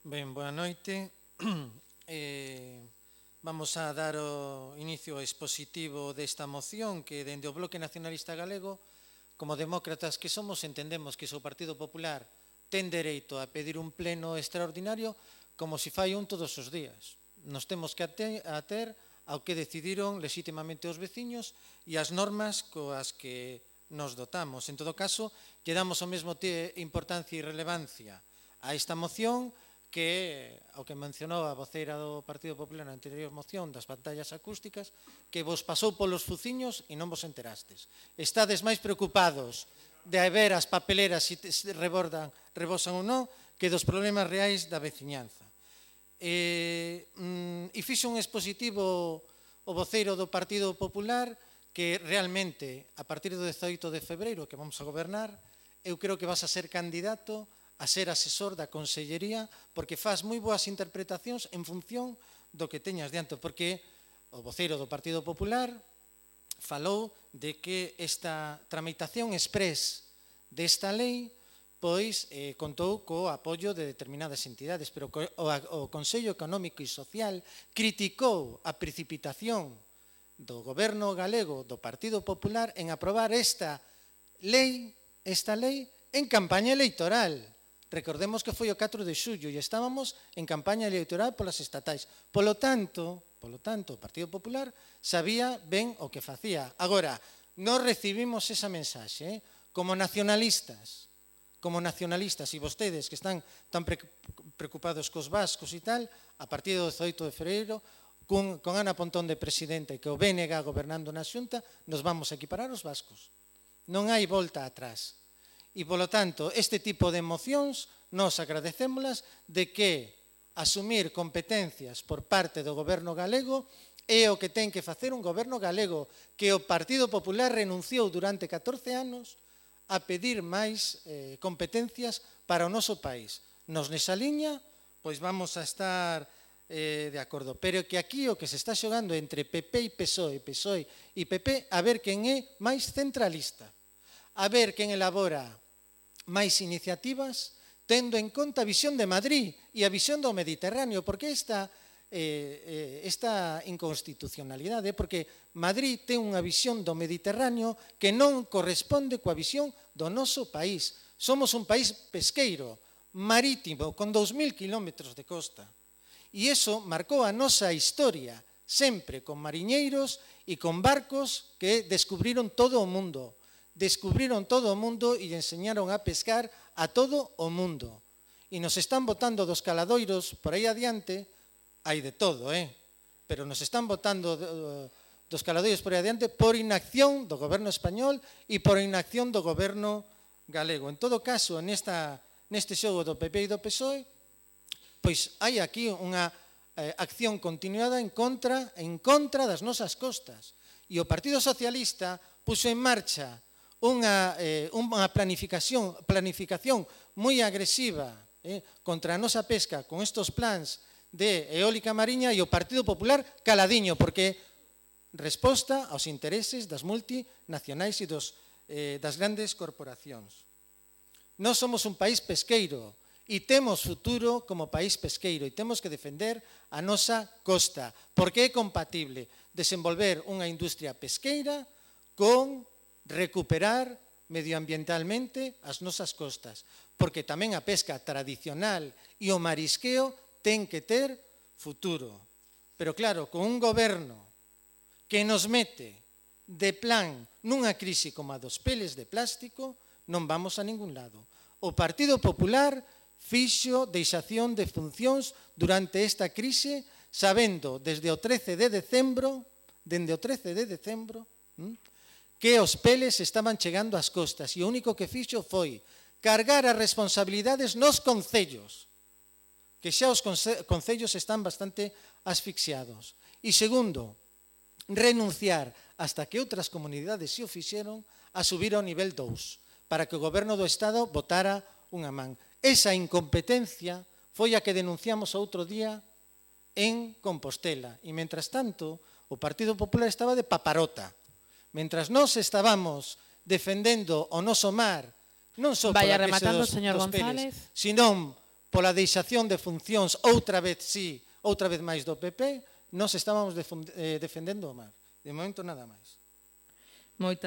Ben, boa noite. Vamos a dar o inicio expositivo desta moción que, dende o Bloque Nacionalista Galego, como demócratas que somos, entendemos que se o Partido Popular ten dereito a pedir un pleno extraordinario como se fai un todos os días. Nos temos que ater ao que decidiron legítimamente os veciños e as normas coas que nos dotamos. En todo caso, lle damos o mesmo importancia e relevancia a esta moción que ao que mencionou a voceira do Partido Popular na anterior moción das pantallas acústicas, que vos pasou polos fuciños e non vos enterastes. Estades máis preocupados de ver as papeleras se rebosan ou non que dos problemas reais da veciñanza. E fixo un expositivo o voceiro do Partido Popular que realmente, a partir do 18 de febreiro que vamos a gobernar, eu creo que vas a ser candidato a ser asesor da Consellería, porque faz moi boas interpretacións en función do que teñas diante, porque o voceiro do Partido Popular falou de que esta tramitación exprés desta lei pois contou co apoio de determinadas entidades, pero o Consello Económico e Social criticou a precipitación do goberno galego do Partido Popular en aprobar esta lei en campaña electoral. Recordemos que foi o 4 de xullo e estábamos en campaña electoral polas estatais. Polo tanto, o Partido Popular sabía ben o que facía. Agora, non recibimos esa mensaxe como nacionalistas, e vostedes que están tan preocupados cos vascos e tal, a partir do 18 de febreiro, con Ana Pontón de presidenta e que o BNG gobernando na Xunta, nos vamos a equiparar os vascos. Non hai volta atrás. E, polo tanto, este tipo de mocións nos agradecémolas de que asumir competencias por parte do goberno galego é o que ten que facer un goberno galego que o Partido Popular renunciou durante 14 anos a pedir máis competencias para o noso país. Nos nesa liña, pois vamos a estar de acordo. Pero que aquí o que se está xogando entre PP e PSOE, PSOE e PP, a ver quen é máis centralista, a ver quen elabora máis iniciativas, tendo en conta a visión de Madrid e a visión do Mediterráneo, porque esta inconstitucionalidade, porque Madrid ten unha visión do Mediterráneo que non corresponde coa visión do noso país. Somos un país pesqueiro, marítimo, con 2000 kilómetros de costa. E iso marcou a nosa historia, sempre con mariñeiros e con barcos que descubriron todo o mundo. E enseñaron a pescar a todo o mundo. E nos están botando dos caladoiros por aí adiante, hai de todo, pero nos están botando dos caladoiros por aí adiante por inacción do goberno español e por inacción do goberno galego. En todo caso, neste xogo do PP e do PSOE, pois hai aquí unha acción continuada en contra das nosas costas. E o Partido Socialista puxo en marcha unha planificación moi agresiva contra a nosa pesca con estos plans de eólica mariña e o Partido Popular caladiño, porque resposta aos intereses das multinacionais e das grandes corporacións. Nós somos un país pesqueiro e temos futuro como país pesqueiro e temos que defender a nosa costa, porque é compatible desenvolver unha industria pesqueira con recuperar medioambientalmente as nosas costas, porque tamén a pesca tradicional e o marisqueo ten que ter futuro. Pero claro, con un goberno que nos mete de plan nunha crise como a dos peles de plástico, non vamos a ningún lado. O Partido Popular fixo deixación de funcións durante esta crise, sabendo desde o 13 de decembro, que os peles estaban chegando ás costas e o único que fixo foi cargar as responsabilidades nos concellos, que xa os concellos están bastante asfixiados. E segundo, renunciar hasta que outras comunidades se o fixeron a subir ao nivel 2, para que o goberno do Estado botara unha man. Esa incompetencia foi a que denunciamos outro día en Compostela. E, mentras tanto, o Partido Popular estaba de paparota. Mentras nós estábamos defendendo o noso mar, non só pola crise dos peles, senón pola deixación de funcións outra vez sí, outra vez máis do PP, nós estábamos defendendo o mar. De momento nada máis. Moitas